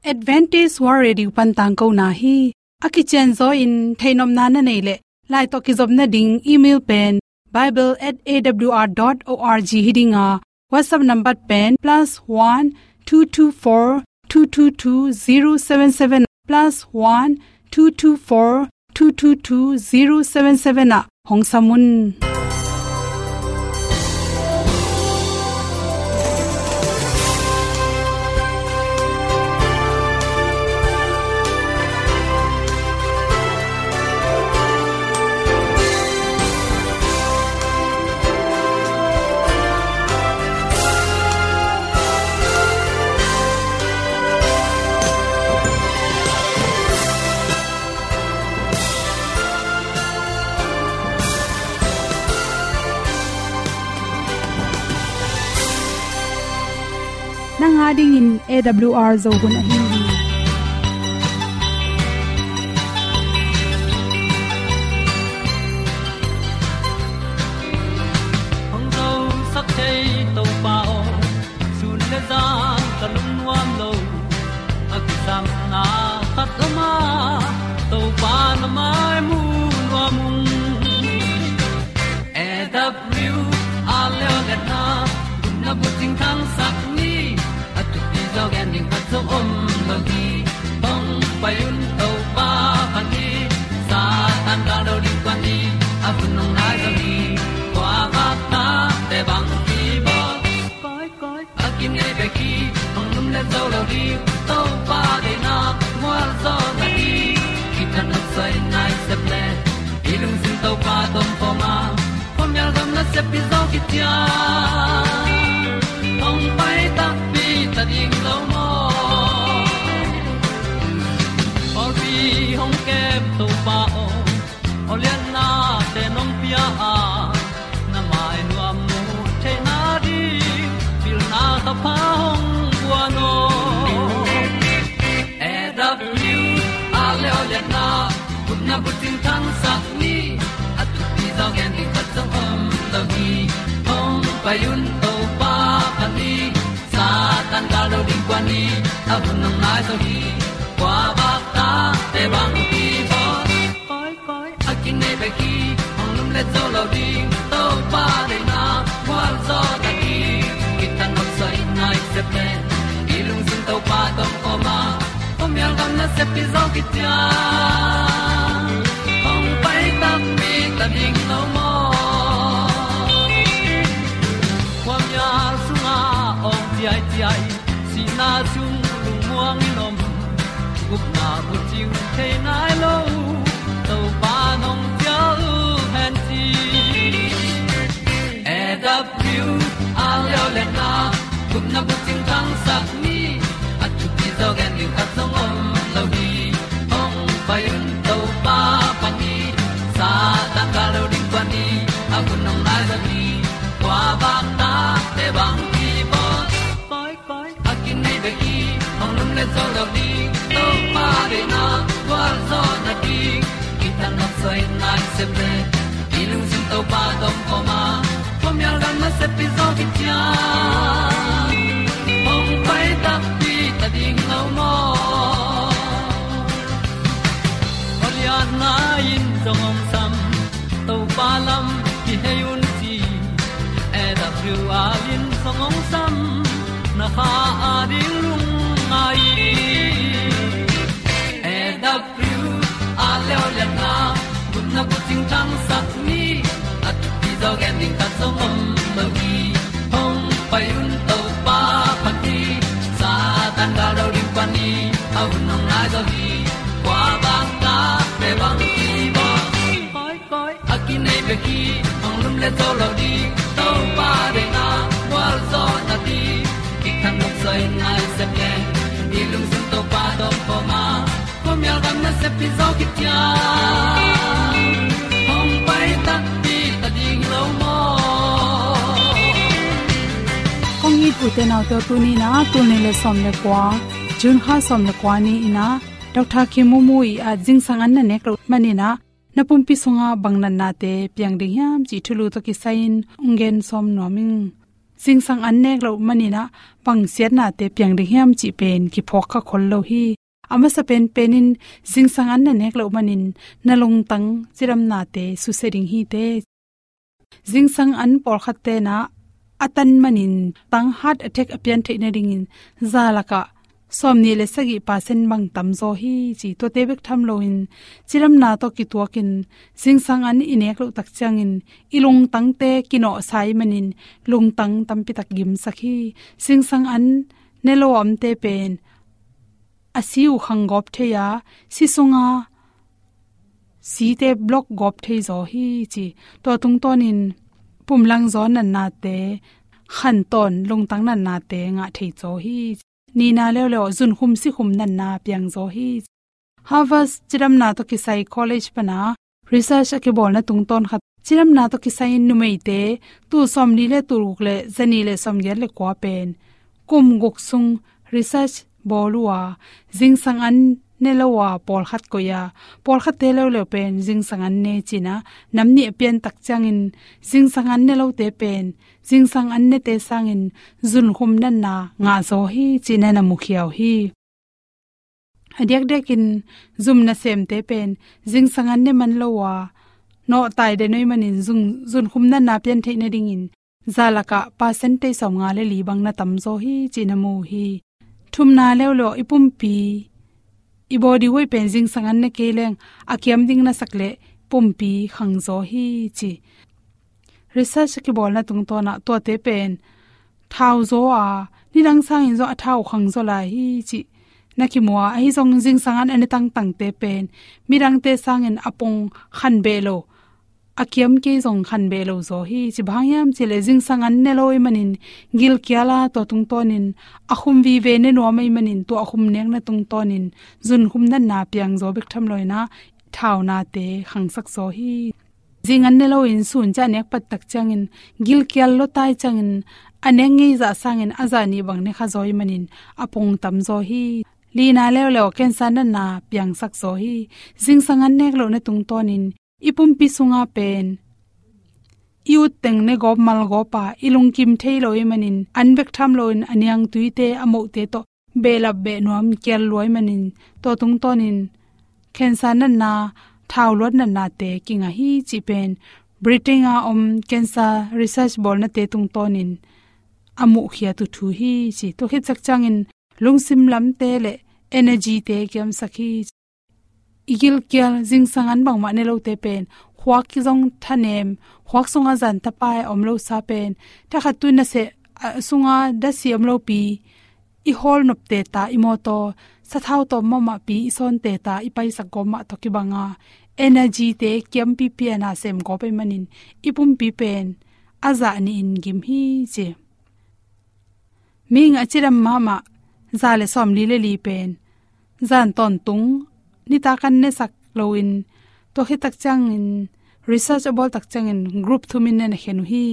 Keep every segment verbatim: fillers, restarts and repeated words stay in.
Adventist World Radio pan tangkona hi. A kicianzaw in theihnopna na neih leh, lai tawh kizopna ding email pen bible at A W R dot org hi ding a, WhatsApp number pen plus one two two four two two two zero seven seven, plus one two two four two two two zero seven seven ah hong sam un. Nang a dingin A W R Zo hun ahi hi. Hong zosak thei Topa aw, sun le zan ka lungnuam lo. A kisapna khat om a, Topa na mai mu nuam ung. A W R Leo le na, na bucing thangsak ni, a thupi zaw gen ding khat zong om lo hi. Hong pai un Topa phat ni, Satan gal do ding kua ni, a hun hong nai zaw hi. Kua vak ta te bang ki bawl. Koi, koi, a kinei bek hi, hong lum le zo lo ding, Topa deihna mual zaw na hi. Kithat nopsai nai sep le, i lungsim Topa tawh om khawm a, khuamial gam nasep pi zaw kician. Hong pai takpi ta ding lo maw. Pawlpi hong kem Topa aw, aw lianna te nong pia a, na mai nuam mu theihna ding, pilna thapha hong guan aw. A W R Leo le na, gupna bucing thangsak ni, a thupi zaw gen ding khat zong om lo hi. Hong pai un Topa phat ni, Satan gal do ding kua ni, a hun hong nai zaw hi. Kua vak ta te bang ki bawl. Koi, koi, a kinei bek hi, hong lum le zo lo ding, Topa deihna mual zaw na hi. Kithat nopsai nai sep le, i lungsim Topa tawh om khawm a, khuamial gam nasep pi zaw kician. Hong pai takpi ta ding lo maw. Khuamial sungah awng ciaiciai, sihna sung lungmuang in om, gupna bucing thei nai lo, Topa nong cial hen ci. A W R Leo le na, gupna bucing thangsak ni, a thupi zaw gen ding khat zong om lo hi. Hong pai un Topa phat ni, Satan gal do ding kua ni, a hun hong nai zaw hi. Kua vak ta te bang ki bawl. Koi, koi, a kinei bek hi, hong lum le zo lo ding, Topa deihna gual zaw na ding. Kithat nopsai nai sep le, i lungsim Topa tawh om khawm a, khuamial gam nasep pi zaw kician. Hong pai takpi ta ding lo maw. Aw lianna in zong hong sam, Topa lam kihei un ci. A W R in zong hong sam, na kha a ding lungngai. A W R Leo le na, gupna bucing thangsak ni, a thupi zaw gen ding khat zong om lo hi. Hong pai un Topa phat ni, Satan gal do ding kua ni, a hun hong nai zaw hi. Kua vak ta te bang ki bawl. Koi, koi, a kinei bek hi, hong lum le zo lo ding, Topa deihna gual zaw na ding. Kithat nopsai nai sep le, i lungsim Topa tawh om khawm a, khuamial gam nasep pi zaw kician. Hong pai takpi ta ding lo maw. Kong it u te nau te, tuni in ah, tul nih le sawm le kua, June kha sawm le kua ni in ah, Doctor Kim Mu Mu ii ah zingsang an na nek loh manin ah, na pumpi sungah bang natnate piang ding hiam cih thulu tawh kisai-in hong gen sawm nuam ing. zingsang an nek loh manin ah bang siatnate piang ding hiam cih pen kiphawk kha khol lo hi. A masa penpen in zingsang an na nek loh manin na lungtang cidamnate susia ding hi teh. Zingsang an pawlkhat ten ah a tan manin tang heart attack a pian theih nadingin za lakah sawmnih le sagih percent bang tam zaw hi ci. Tuate bek tham loin cidamna tawh kituakin zingsang an i nek loh tak ciangin i lungtangte kinawhsa ahih manin lungtang tampi tak gimsak hi. Zingsang an ne lo a omte pen a si uh khang gawp thei a, si sunga site block gawp thei zaw hi ci. Tua tungtawnin pumlang zaw natnate, khantawn lungtang natnate ngah thei zaw hi. Nihna leuleu zunkhum sikhum natna piang zaw hi. Harvard cidamna tawh kisai college pana research a kibawlna tungtawn khat, cidamna tawh kisai in numeite tul sawmli le tul guk le zanih le sawmgiat le kua pen kum guk sung research bawl uh a, zingsang an ne lo a pawlkhat koih a, pawlkhatte leuleu pen zingsang an ne cih a nam nih a pian tak ciangin zingsang an ne lote pen zingsang an nete sangin zunkhum natna ngah zaw hi cih na mukhia uh hi. A diakdiakin zum nasemte pen zingsang an ne man lo a nawhtai den uh ahih manin zung, zunkhum natna pian theih nadingin za lakah percentage sawmnga le li bang na tam zaw hi cih na mu uh hi. Thumna leuleu i pumpi, i body weight pen zingsang an ne kei leng a kiam ding na sak leh pumpi khang zaw hi ci. Research a kibawlna tungtawn ah tuate pen thau zaw a, nidang sangin zaw a thau khang zaw lai hi cih na kimu a, ahi zong zingsang an a ne tangtangte pen midangte sangin a pong khan beh lo, a kiam kei zong khan beh lo zaw hi ci. Bang hang hiam cih leh zingsang an ne lo ahih manin gilkial a, tua tungtawnin a khum vive ne nuam ahih manin tua a khum nekna tungtawnin zunkhum natna piang zaw bek tham loin ah thaunate khangsak zaw hi. Zing an ne loin sun ciah nek pat tak ciangin gilkial lua tai ciangin a nek ngei zah sangin a zah nih bang ne kha zaw ahih manin a pong tam zaw hi. Lina leuleu cancer natna piangsak zaw hi. Zingsang an nek lohna tungtawnin i pumpi sunga pen i utteng ne gawp mal gawp a, i lungkim thei lo ahih manin an bek tham loin a niangtuite, a mohte tawh behlap beh nuam kial lua ahih manin tua tungtawnin cancer natna, thau luat natnate kingah hi cih pen Britain a om cancer research bawlnate tungtawnin a muhkhiat uh thu hi ci. Tua khit tak ciangin lungsim lamte le energy-te kiamsak hi. I gilkial zingsang an bangmah ne lote pen khuak kizong thanem, khuak sunga zan tapai a om lo sa pen thakhat tu naseh, a, sunga dasi om lopi i hawl nop teta, i mawtaw sathau tawm mahmahpi i sawn teta, i paisak gawp mah tawh kibanga energy-te kiampipi a nasem gawp ahih manin i pumpi pen a zah nihin gim hi ci. Mihing a cidam mahmah za le sawmli le li pen zan tawntung nitak an nesak loin tua khit tak ciangin research a bawl tak ciangin group thumin ne na khen uh hi.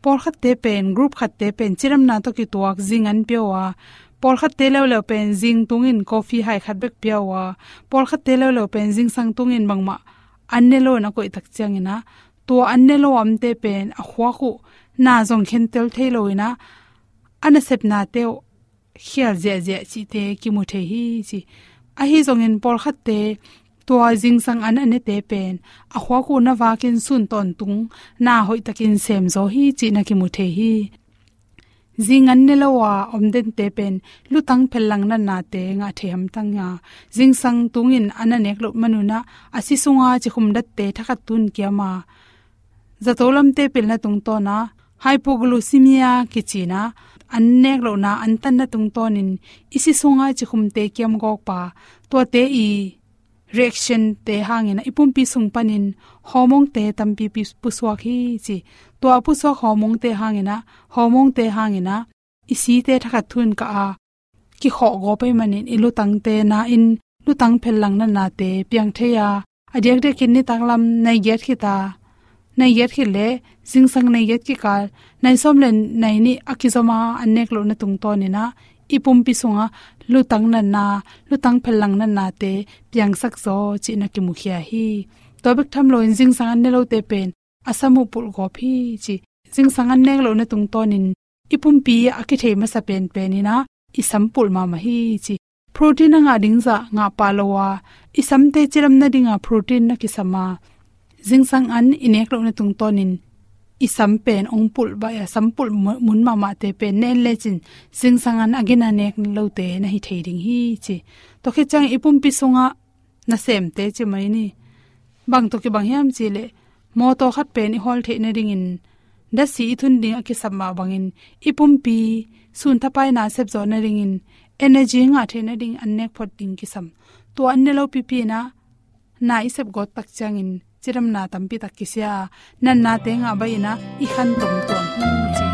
Pawlkhatte pen group khatte pen cidamna tawh kituak zing an pia uh a, pawlkhatte leuleu pen zing tungin coffee hai khat bek pia uh a, pawlkhatte leuleu pen zingsang tungin bangmah an ne lo na koih tak ciangin ah tua an ne lo a omte pen a khuak uh na zong khentel thei loin ah a nasepnate uh khial ziahziah cihte kimu thei hi ci. Ahi zongin pawlkhatte tua zingsang an a nete pen a khuak uh na vakin sun tawntung na hoihtakin sem zaw hi cih na kimu thei hi. Zing an ne lo a om dente pen lutang phellang natnate ngah thei hamtang a, zingsang tungin an a nek loh manun ah a si sunga cikhum datte thakhat tun kiam a, zato lamte pilna tungtawn ah hypoglycemia kici-in ah an nek lohna an tanna tungtawnin i si sunga cikhumte kiam gawp a, tuate i reaction-te hangin ah i pumpi sung panin hormone-te tampipi pusuak hi ci. Tua a pusuak hormone-te hangin ah, hormone-te hangin ah i site thakhat thun kah a, kikhawh gawp ahih manin i lutangte na-in lutang phellang natnate piang thei a, a diakdiakin nitak lam nai giat khit a, nai giat khit le zingsang nai giat kikal nai sawm le nai nih a kizom a an nek lohna tungtawnin ah i pumpi sungah lutang natna, lutang phellang natnate piangsak zaw cih na kimukhia hi. Tua bek tham loin zingsang an ne lote pen a sam uh pulh gawp hi ci. Zingsang an nek lohna tungtawnin i pumpi a kithei masa penpen in ah i sam pulh mahmah hi ci. Protein a ngah ding zah ngah pah lo a, i samte cidam nading a protein na kisam a, zingsang an i nek lohna tungtawnin i sam pen hong pulh baih a, sam pulh mu-, mun mahmahte pen na en lecin zingsang an a gina nek lote na hi thei ding hi ci. Tua khit ciang i pumpi sungah nasemte ci mai ni. Bang tawh kibang hiam cih leh, mawtaw khat pen i hawl theih nadingin, datsi i thun ding a kisam mah bangin, i pumpi sun thapai na sep zawh nadingin, energy ngah theih nading an nek phot ding kisam. Tua an ne lo pipi in ah, na i sep gawt tak ciangin, cidamna tampi tak kisia, natnate ngah baih in ah i khan tom tuam hi ci.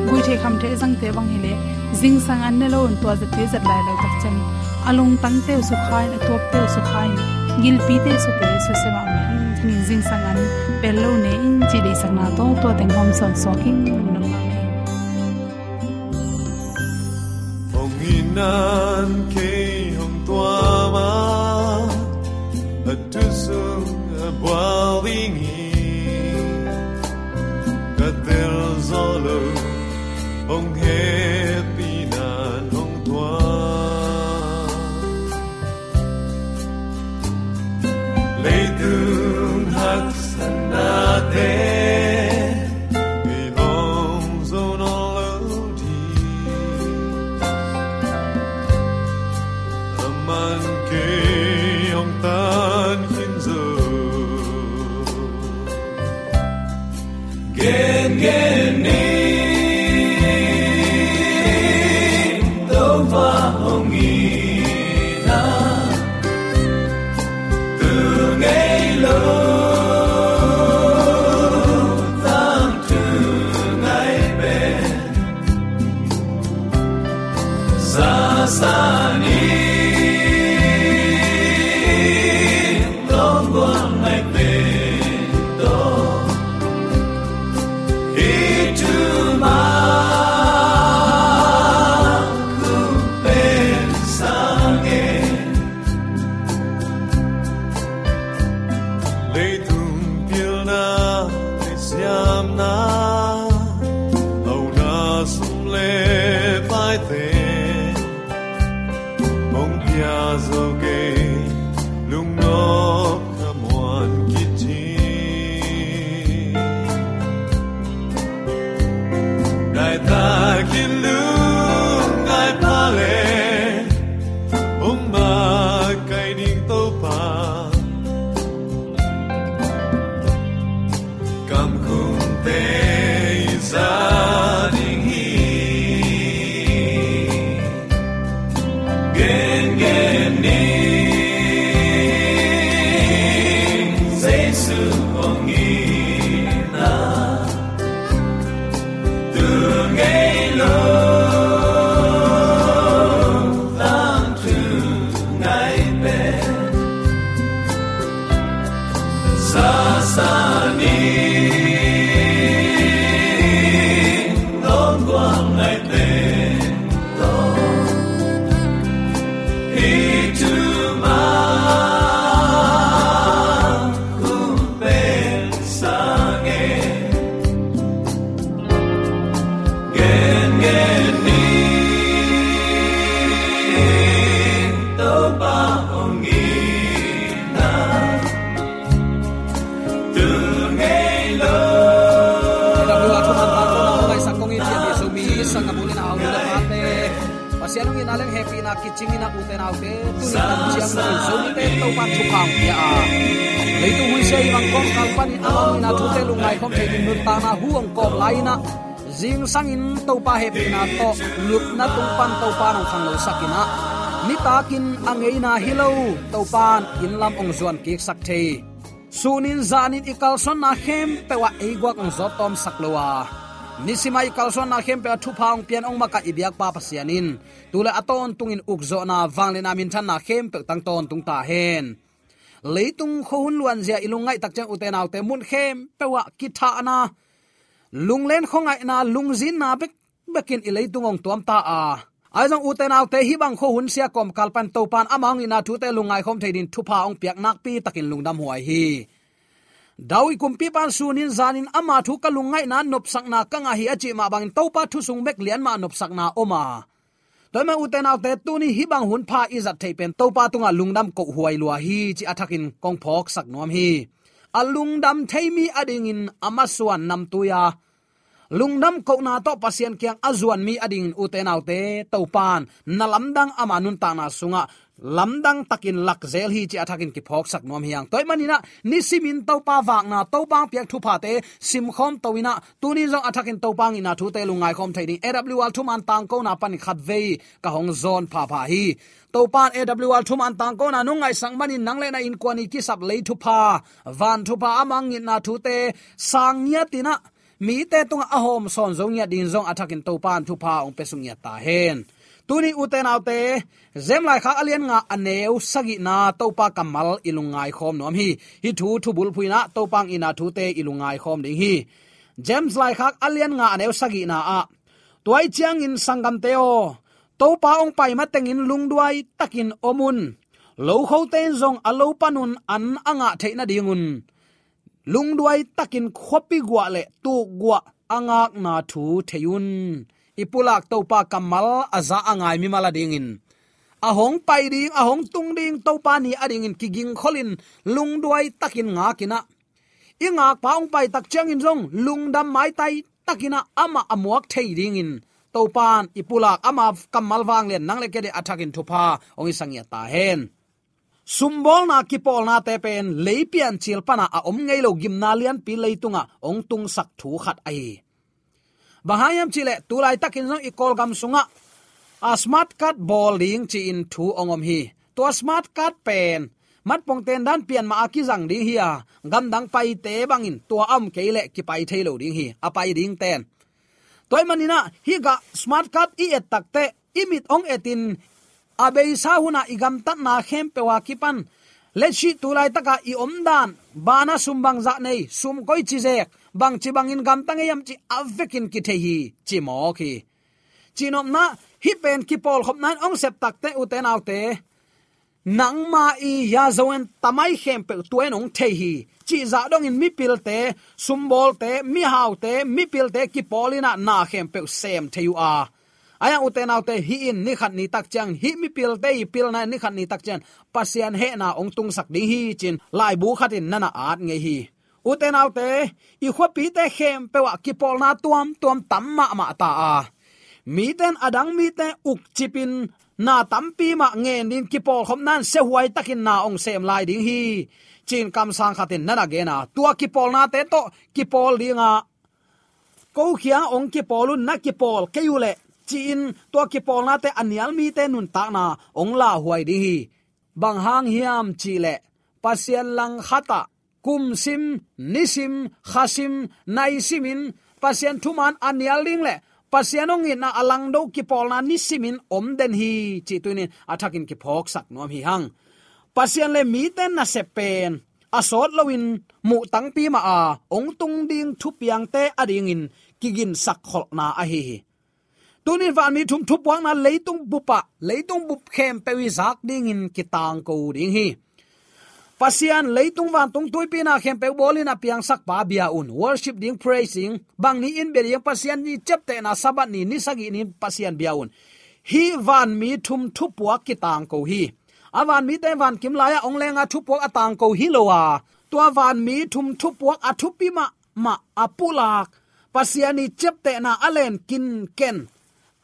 Guih theih kham theih zangte bang hi leh, zingsang an ne lo in tua zat te zat lai lo tak ciangin, a lungtangte uh sukha in, a tuapte uh sukha in, gilpite uh sukha in, susia mahmah hi. Tuni in zingsang an pel lo ne in ci deihsakna tawh tua teng hawm sawn suak in lungdam mahmah hi. Hong itna in kei hong tuam a, a thu sung a bual ding hi. Ka tel zo lo, hong hehpihna in hong tuam. Leitung haksatnate i hong zo nawn lo ding. Aman kei hong tan khin zo. Gengen ni, Topa hong itna, tu ngei lo, tangthu ngai pen, sasa ni, tong guang ngai pen tawh. Hi thu mah kong pen sang e. Leitung pilna, lei siamna, hauna sum le paite, hong pia zo kei, lungnop khamuan kit hi. Nai takin lungngai pha le, hong makaih ding Topa, kamkhumte i za ding hi. Gengen ni, Jesu hong itna, tu ngei lo, tangthu ngai pen, sasa ni, tong guang ngai pen tawh. Hi thu mah kong pen sang e. Gengen ni, Topa hong itna, tu ngei lo. Lam lua thuman tang ko na hong ngaisak kong ih cian hi Zomi sanggamnu le na hong lua pate. Pasian hong itna leng hehpihna kicing in a, ute naute, tuni tan ciang lo in Zomite Topa thupha hong pia a, leitung huisia i bang kawmkal panin amah hong itna thute lungngai khawm thei ding nuntakna hu hong kawm lai in a, zingsangin Topa hehpihna tawh lupna tung pan Topa in hong khanglosak in a, nitakin a ngeina hi lo Topa in inn lam hong zuan kiksak thei, sunin zanin i kalsuanna khempeuh ah ei guak hong zawt tawmsak lo a, nisim a i kalsuanna khempeuh ah thupha hong pian hong makaih i biakpa Pasian in tu le a tawntungin ukzawhna, vangliatna, minthanna khempeuh tang tawntung ta hen. Leitung khuahun luanzia i lungngaih tak ciang, ute naute, mun khempeuh ah kithahna, lunglen khuangaihna, lungzinna bekbekin i leitung hong tuam ta a, ahi zong ute naute, hih bang khuahun sia kawmkal pan Topa in amah hong itna thute lungngai khawm thei ding thupha hong piak nakpi takin lungdam huai hi. David kumpipa in sunin zanin ama thu ka lungngaihna nopsakna ka ngah hi a cih mah bangin Topa thu sung bek lian mah nopsakna om a. Tua ahih manin ute naute tuni hih bang hun pha i zat theih pen Topa tungah lungdam kohhuai lua hi cih a thakin kong phawksak nuam hi. A lungdam thei mi adingin a masuan namtui a lungdam kohna tawh Pasian kiang a zuan mi adingin ute naute Topa in na lamdang ama nuntakna sungah lamdang takin lakzel hi cih a thakin kiphawksak nuam hi hang. Tua ahih manin ah nisimin Topa vakna, Topa hong piak thuphate simkhawm to in ah tuni zong a thakin Topa hong itna thute lungngaikhawm thei ding A W R thuman tangkona panin khatvei ka hong zawn phapha hi. Topa in A W R thuman tangkona nong ngaihsak manin nang le na innkuan i kisap lei thupha, van thupha, ama hong itna thute sang ngiat in ah mite tungah a hawm sawn zo ngiat dingin zong a thakin Topa in thupha hong pia suk ngiat ta hen. Tuni ute naute, James laikhak a lian nga a neu sagihna Topa kammal i lungngaikhawm nuam hi. Hih thu thubulphuh in ah Topa hong itna thute i lungngaikhawm ding hi. James laikhak a lian nga a neu sagihna ah, tua ahih ciangin sanggamte aw, Topa hong pai matengin lungduai takin om un. Lokhote in zong a lo panun an a ngah theih nadingun lungduai takin khuapi guah le tuk guah a ngakna thu thei un. I pulak Topa kammal a za a ngai mimal adingin a hong pai ding, a hong tung ding Topa ni adingin kigingkholin lungduai takin ngak in ah i ngakpa hong pai tak ciangin zong lungdam maitai takin ah amah a muak thei dingin Topa in i pulak ama kammal vanglian nang le kei a thakin thupha hong i sa ngiat ta hen. Sumbawlna kipawlnate pen lei piancil pana a om ngei lo gimna lianpi leitungah hong tungsak thu khat ahi hi. Bang hang hiam cih leh tu laitakin zong i Kawlgam sungah a smart card bawl ding ci-in thu hong om hi. Tua smart card pen matpongte in dan pian mah a kizang ding hi a, gamdang paite bangin tua a om kei leh kipai thei lo ding hi, a pai dingte in. Tua ahih manin ah hih gah smart card i et takteh i mit hong etin a beisa hunah i gamtatna khempeuh a kipan letsih tu laitaka i omdan, bana sum bangzah nei, sum koici zek, bangci bangin gamta ngei hiam cih a vekin kithei hi ci mawk hi. Cihnopna, hih pen kipawlkhopna in hong sep takteh ute naute, nangma i ya zo en tamai khempeuh tua in hong thei hi. Cihzah dongin mipilte, sumbawlte, mihaute, mipilte kipawl in ah na khempeuh sem thei uh a. Ahi hang ute naute, hih in nikhat ni tak ciang, hih mipilte i pilna in nikhat ni tak ciang Pasian hehna hong tungsak ding hi ci-in laibu khat in na na at ngei hi. Ute naute, i khuapite khempeuh ah kipawlna tuamtuam tam mahmah ta a, mite in a dang mite ukcipin na tampi mah ngen dingin kipawlkhopna in siahuai takin na hong sem lai ding hi ci-in kamsang khat in na na gen a, tua kipawlnate tawh kipawl ding a, ko kiangah hong kipawl un, na kipawl kei uh leh ci-in tua kipawlnate a nial mite nuntakna hong lauhuai ding hi. Bang hang hiam cih leh Pasian langkhat ah kum sim, ni sim, kha sim, nai simin Pasian thuman a nial ding le Pasian hong itna a langdo kipawlna nisimin om den hi cih tuni-in a thakin kiphawksak nuam hi hang. Pasian le mite nasep pen a sawt loin muh tangpi mah a hong tung ding thupiangte adingin kiginsak kholhna ahi hi. Tuni-in vanmi thum thupuakna leitung bup ah, leitung bup khempeuh i zak dingin kitangko ding hi. Pasian leitung vantung tuipi na khempeuh bawlin a piangsakpa bia un, worship ding, praise ding, bang ni in bia ding, Pasian ni ciaptehna Sabbath ni, ni sagih ni Pasian bia un. Hih vanmi thum thupuak kitangko hi. A vanmite vankim lai-ah hong lenga thupuak a tangko hi lo a, tua vanmi thum thupuak a thupi mah mah a pulak, Pasian i ciaptehna a len kinken,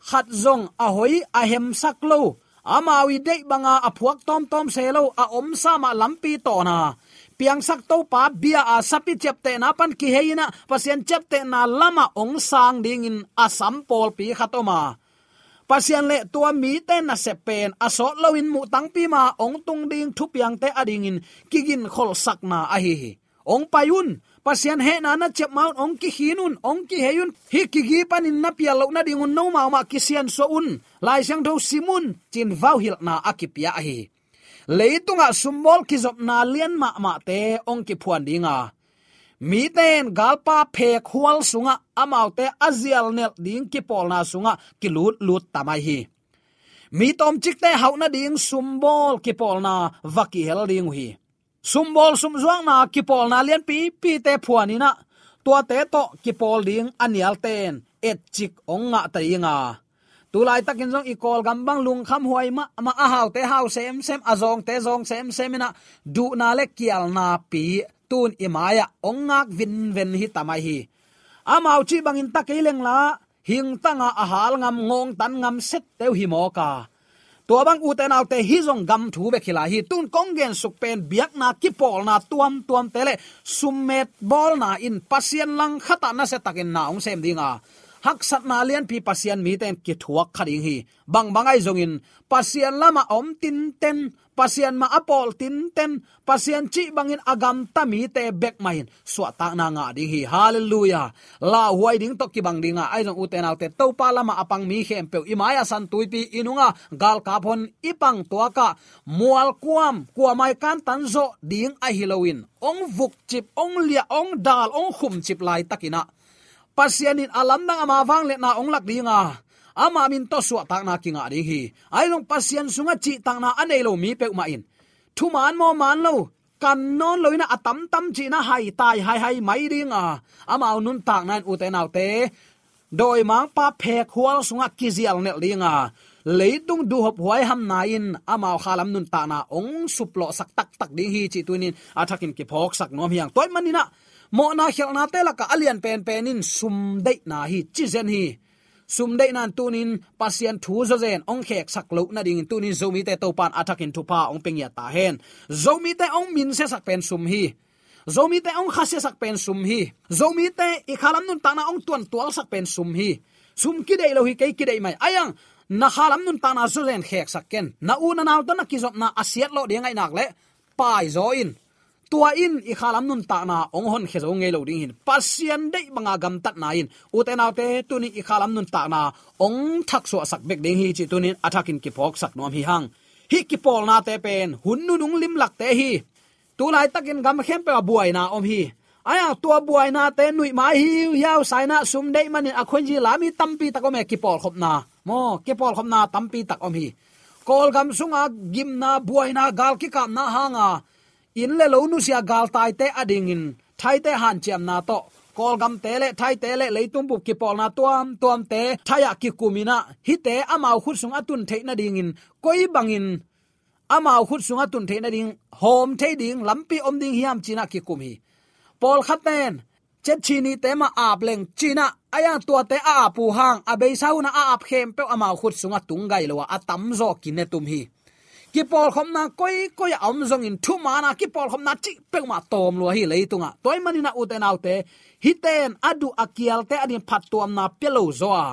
khat zong a hoi a hemsak lo, amau i deih banga a phuak tawmtawm se lo, a omsa mah lampi tawna piangsak Topa bia a sapi ciaptehna pan kihei in ah Pasian ciaptehna lamah hong sang dingin a sam pawlpi khat om a, Pasian le tua mite nasep pen a sawt loin muh tangpi ma hong tung ding thupiangte adingin kiginkholhsakna ahi hi. Hong pai un, Pasian hehna na ciap ma un, hong kikhin un, hong kihei un, hih kigi panin na pial loh nadingun nomau mah kisiansuah un, Lai Siangtho sim un, ci-in vauhilhna a kipia ahi hi. Leitungah sumbawl kizopna lian mahmahte hong kiphuan ding a, mite in galpa phekhual sungah amaute a zialnelh ding kipawlna sungah kilutlut ta mai hi. Mi tawmcikte hauh nading sumbawl kipawlna va kihel ding uh hi. Sumbawl sumzuakna kipawlna lianpipite phuan in ah, tuate tawh kipawl ding a nialten etcik hong ngah ta ding a, tu laitakin zong i Kawlgam bang lungkhamhuai mahmah, a haute hau semsem, a zawngte zawng semsem in ah, duhna le kialna pi tun i mai-ah hong ngak vinven hi ta mai hi. Amau cih bangin ta kei lengla, hingtanga a hal ngam, ngawngtan ngam sette uh hi mawk a, tua bang ute naute hi zong gam thu bek hi lai hi. Tun kong gensuk pen biakna kipawlna tuamtuamte le summet bawlna in Pasian langkhatah nasiatakin na hong sem ding a, haksatna lianpi Pasian mite in kithuak kha ding hi. Bangbang ahi zongin Pasian lamah a om tinten, Pasian mah a pawl tinten, Pasian cih bangin a gamta mite bek mah in suahtakna ngah ding hi. Halleluiah. Lauhuai ding tawh kibang ding a, ahi zong ute naute, Topa lamah a pang mi khempeuh, i mai-ah San Tuipi, i nungah galkap hon, i pang tuakah mualkuam, kuamah i kantan zawh ding ahi loin, hong vukcip, hong liah, hong dal, hong khumcip laitakin ah, Pasian in a lamdang ama vangliatna hong lak ding a, ama min tawh suahtakna kingah ding hi. Ahi zong Pasian sungah cihtakna a nei lo mi peuhmah in, thuman maw man lo, kan nawn lo in ah, a tamtam cih in ah haitai haihai mai ding a, amau nuntakna in ute naute, dawimangpa phekhual sungah kizial nelh ding a, leitung duhhop huaihamna in amau khalam nuntakna hong suplawhsak taktak ding hi cih tunin a thakin kiphawksak nuam hi hang. Tua ahih manin ah, mawhna khialhnate lakah a lian penpen in sumdeihna hi, cizen hi. Sumdeihna in tunin Pasian thu zawzen hong kheksak loh nadingin tunin Zomite Topa in a thakin thupha hong pia ngiat ta hen. Zomite hong minsiasak pen sum hi. Zomite hong khasiasak pen sum hi. Zomite i khalam nuntakna hong tuantualsak pen sum hi. Sum kideih lo hi kei, kideih mai. Ahi zong na khalam nuntakna zawzen kheksak ken. Na u na nau tawh na kizopna a siatlawh ding ahih nak leh paizaw in. Tua in i khalam nuntakna hong honkhia zo ngei lo ding hi. Pasian deih banga gamtatna in ute naute tunin i khalam nuntakna hong thaksuahsak bek ding hi cih tunin a thakin kiphawksak nuam hi hang. Hih kipawlnate pen hun nunung limlakte hi. Tu laitakin gam khempeuh ah buaina om hi. Ahi zong tua buainate nuih mai hiuhiau sa in ah, sumdeih manin a khuanzi la mi tampi tak om e, kipawlkhopna. Maw, kipawlkhopna tampi tak om hi. Kawlgam sunga gimna, buaina, gal kikapna hanga inn le lo nusia galtaite a dingin, Thaite hanciamna tawh Kawlgamte le Thaite le leitung bup kipawlna tuamtuamte Thai ah kikum in ah, hihte amau khut sungah tun theih nadingin koi bangin amau khut sungah tun theih nading hawm thei ding lampi om ding hiam ci in ah kikum hi. Pawlkhatte in Chetchinite mah ap leng ci in ah, ahi zong tuate a ap uh hang, a beisa hun ah a ap khempeuh amau khut sungah tung gai lo a, a tamzaw kinetum hi. Kipawlkhopna koikoi a om zongin, thuman a kipawlkhopna cih peuhmah tawm lua hi leitungah. Tua ahih manin ah ute naute, hihte in a duh a kialte adingin phattuamna pia lo zaw a,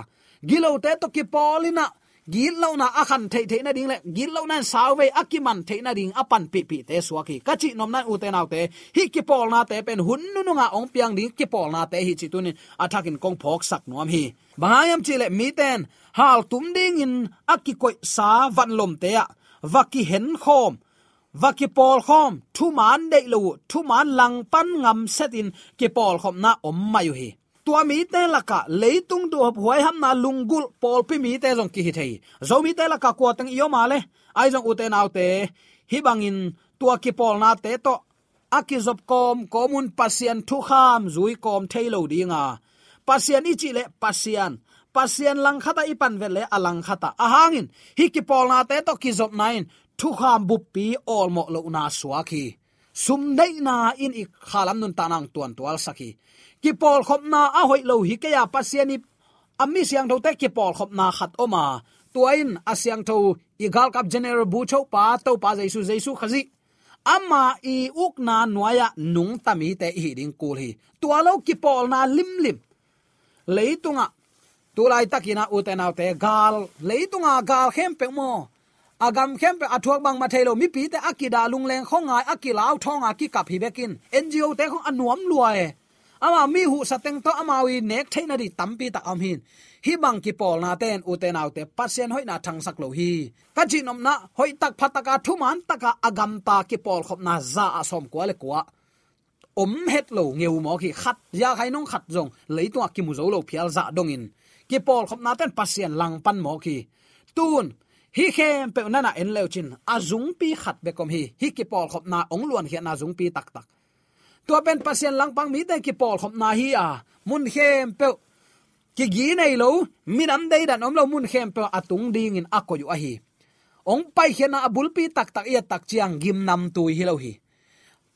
gilote tawh kipawl in ah, gitlohna a khan theihtheih nading le gitlohna in sauvei a kiman theih nading a panpihpihte suak hi. Ka cih nopna in ute naute, hih kipawlnate pen hun nununga hong piang ding kipawlnate hi cih tunin a thakin kong phawksak nuam hi. Bang hang hiam cih leh mite in haltum dingin a kikoihsa vanlomte ah va kihenkhawm, va kipawlkhawm, thuman deih lo uh, thuman langpan ngam setin kipawlkhopna om mai uh hi. Tua mite lakah leitung duhhop huaihamna lunggulh pawlpi mite zong kihi thei hi. Zomite lakah kua teng i om a le, ahi zong ute naute, hih bangin tua kipawlnate tawh a kizop kawmkawm un Pasian thukham zui kawm thei lo ding a, Pasian i cih leh Pasian, Pasian langkhat ah i pan vet leh a langkhat ah. A hangin hih kipawlnate tawh kizopna in thukham buppi awlmawh lohna suak hi. Sumdeihna in i khalam nuntakna hong tuantualsak hi. Kipawlkhopna a hoih lo hi kei a, Pasian i a mi siangthote kipawlkhopna khat om a, tua in a siangtho i galkap General Bucho pa, Topa Jesu, Jesu Khazih, ama i ukna nuai-ah nungta mite i hih ding kul hi. Tua lo kipawlna limlim leitungah, tu laitakin ah ute naute, gal, leitunga gal khempeuh maw, a gam khempeuh a thuak bangmah thei lo mipite a kidah lungleng khuangai, a kilau thawnga kikap hi bekin, N G O te khong a nuam lua e. Amau mi huhsa teng tawh amau i nek theih nading tampi tak a om hi. Hih bang kipawlnate in ute naute, Pasian hoihna thangsak lo hi. Ka cihnopna, hoihtak phataka thuman taka a gamta kipawlkhopna za ah sawmkua le kua om het lo ngeu mawk hi. Khat, zia khai nong khat zong leitungah kimu zo lo phial zah dongin, kipawlkhopnate in Pasian langpan mawk hi. Tun Hih khempeuh nana en leucin a zungpi khat bek om hi. Hih kipawlkhopna hong luankhiatna zungpi taktak. Tua pen Pasian langpang mite kipawlkhopna hi a, mun khempeuh kigi nei lo, minam deidan om lo, mun khempeuh a tung dingin a koih uh ahi. Hong paikhiatna a bulpi taktak i et tak ciang gimnamtui hi lo hi.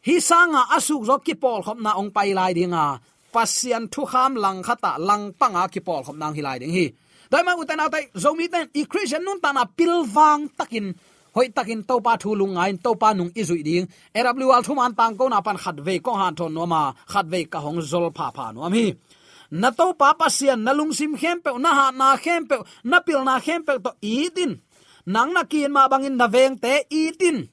Hih sanga a sukzawh kipawlkhopna hong pai lai dinga, Pasian thukham langkhatah langpanga kipawlkhopna hong hi lai ding hi. Tua ahih manin ute naute, Zomite in i Khristian nuntakna pilvang takin, hoihtakin Topa thu lungngai-in Topa nung i zuih ding. A W R thuman tangkona pan khatvei kong hanthawn nuam a, khatvei ka hong zol phapha nuam hi. Na Topa Pasian, na lungsim khempeuh, na hatna khempeuh, na pilna khempeuh tawh it in. Nang na ki-it mah bangin na vengte it in.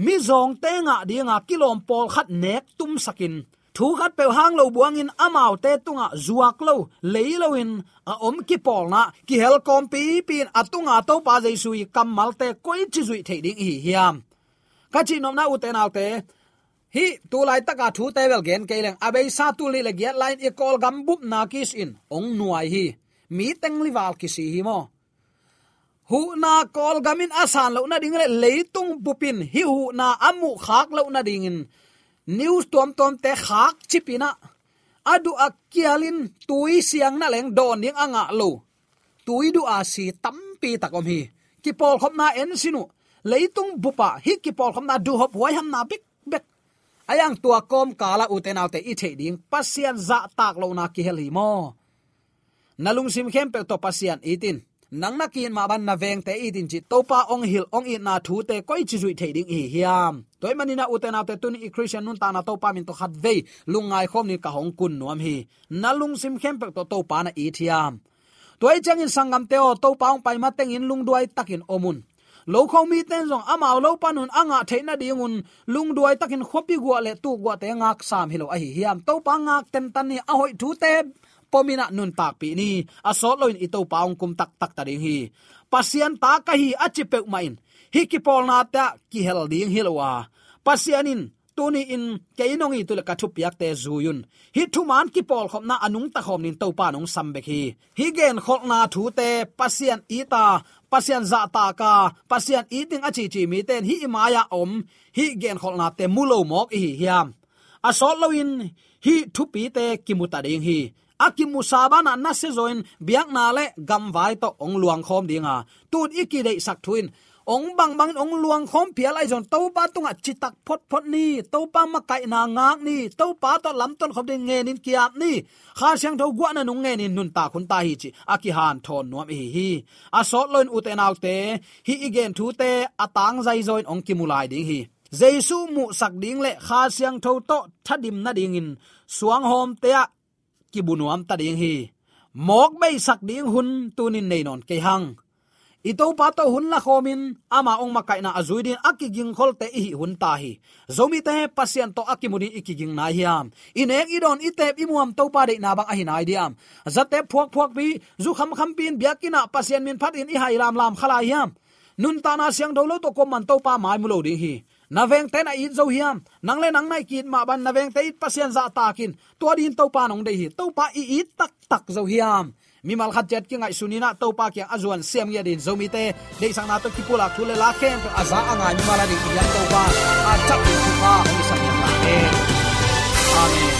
Mizawngte ngah dinga kilawm pawlkhat nek tumsakin, thu khatpeuh hang lo buangin amaute tungah zuak lo, lei loin a om kipawlna kihel kawmpipi in a tunga Topa Jesu i kammalte koici zuih theih ding i hi hiam? Ka cihnopna ute naute, hih tu laitaka thute bel gen kei leng, a beisa tul nih le giat lai-in i Kawlgam bupna kisin hong nuai hi. Mi teng lival kisi hi maw? Huhna Kawlgam in a san loh nading le leitung bup in hih huhna a muhkhak loh nadingin news tuamtuamte khakcip in ah, a duh a kialin tui siang na leng dawn ding a ngah lo, tui duh a si tampi tak om hi. Kipawlkhopna en sin uh, leitung bupah hih kipawlkhopna duhhop huaihamna bekbek. A iang tua kawmkalah ute naute i theih ding Pasian zahtak lohna kihel hi maw? Na lungsim khempeuh tawh Pasian it in. Nang na ki-it mah bangin na vengte it in cih Topa hong hilh hong itna thute koici zuih theih ding i hi hiam? Tua ahih manin ah ute naute, tuni i Khristian nuntakna Topa min tawh khatvei lungngai khawm dingin ka hong kun nuam hi. Na lungsim khempeuh tawh Topa na it hiam? Tua ahih ciangin sanggamte aw, Topa hong pai matengin lungduai takin om un. Lokho mite in zong amau lo panun a ngah theih nadingun lungduai takin khuapi guah le tuk guahte ngaksam hi lo ahi hiam? Topa ngak tentan ni, a hoih thute pom in ah nuntakpih ni. A sawt loin i Topa hong kum taktak ta ding hi. Pasian ta ka hi a ci peuhmah in hih kipawlnate ah kihel ding hi lo a, Pasian in tuni-in kei nong it uh leh ka thupiakte zui un. Hih thuman kipawlkhopna a nungta khawm dingin Topa in hong sam bek hi. Hih genkholhna thute Pasian it a, Pasian zahtak a, Pasian it ding a cici mite in hih i mai-ah om hih genkholhnate mu lo mawk i hi hiam? A sawt loin hih thupite kimu ta ding hi. A kimusa banah nasia zawin biakna le gamvai tawh hong luangkhawm ding a, tu-in i kideihsak thu in hong bangbangin hong luangkhawm phial ahi zongin Topa tungah citak photphot ni. Topa makaihna ngak ni. Topa tawh lamton khop ding ngenin ki-ap ni. Kha Siangtho guahna nung ngenin nuntak hun ta hi cih a kihanthawn nuam i hi hi. A sawt loin ute naute, hih i gen thute a tangzai zawin hong kimu lai ding hi. Jesu muhsak ding le Kha Siangtho tawh thadim nadingin suanghawmte ah kibu nuam ta ding hi. Mawk beisak ding hun tunin nei nawn kei hang. I Topa tawh hun lakhawmin ama hong makaihna a zui dingin a kigingkholte i hih hun ta hi. Zomite Pasian tawh a kimu dingin i kiging nai hiam? I nek i dawn, i teep i muam Topa deihna bang ahi nai diam? Zatep phuakphuakpi, zu khamkhampi in biakinn ah Pasian min phatin i hai lamlam kha lai hiam? Nuntakna siangtho lo tawh kuaman Topa mai mu lo ding hi. Na vengte na it zo hiam? Nang le nang na ki-it mah bangin na vengte it, Pasian zahtak in. Tua dingin Topa in hong deih hi. Topa i it taktak zo hiam? Mimal khat ciat kingaihsun in ah Topa kiang a zuan siam ngiat dingin Zomite deihsakna tawh kipulak thu le la khempeuh a za a ngai mimal a ding i hiam Topa a thak ding thupha hong hisak ngiat ta hen. Amen.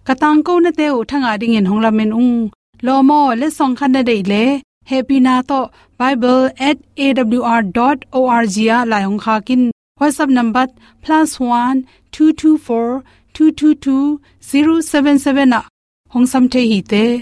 Ka tangkonate uh thangah dingin hong lamen ung. Lawm aw, letsong khat na deih leh hehpihna tawh bible at A W R dot O R G ah lai hong khak in. WhatsApp number plus one two two four two two two zero seven seven ah hong sam thei hi te.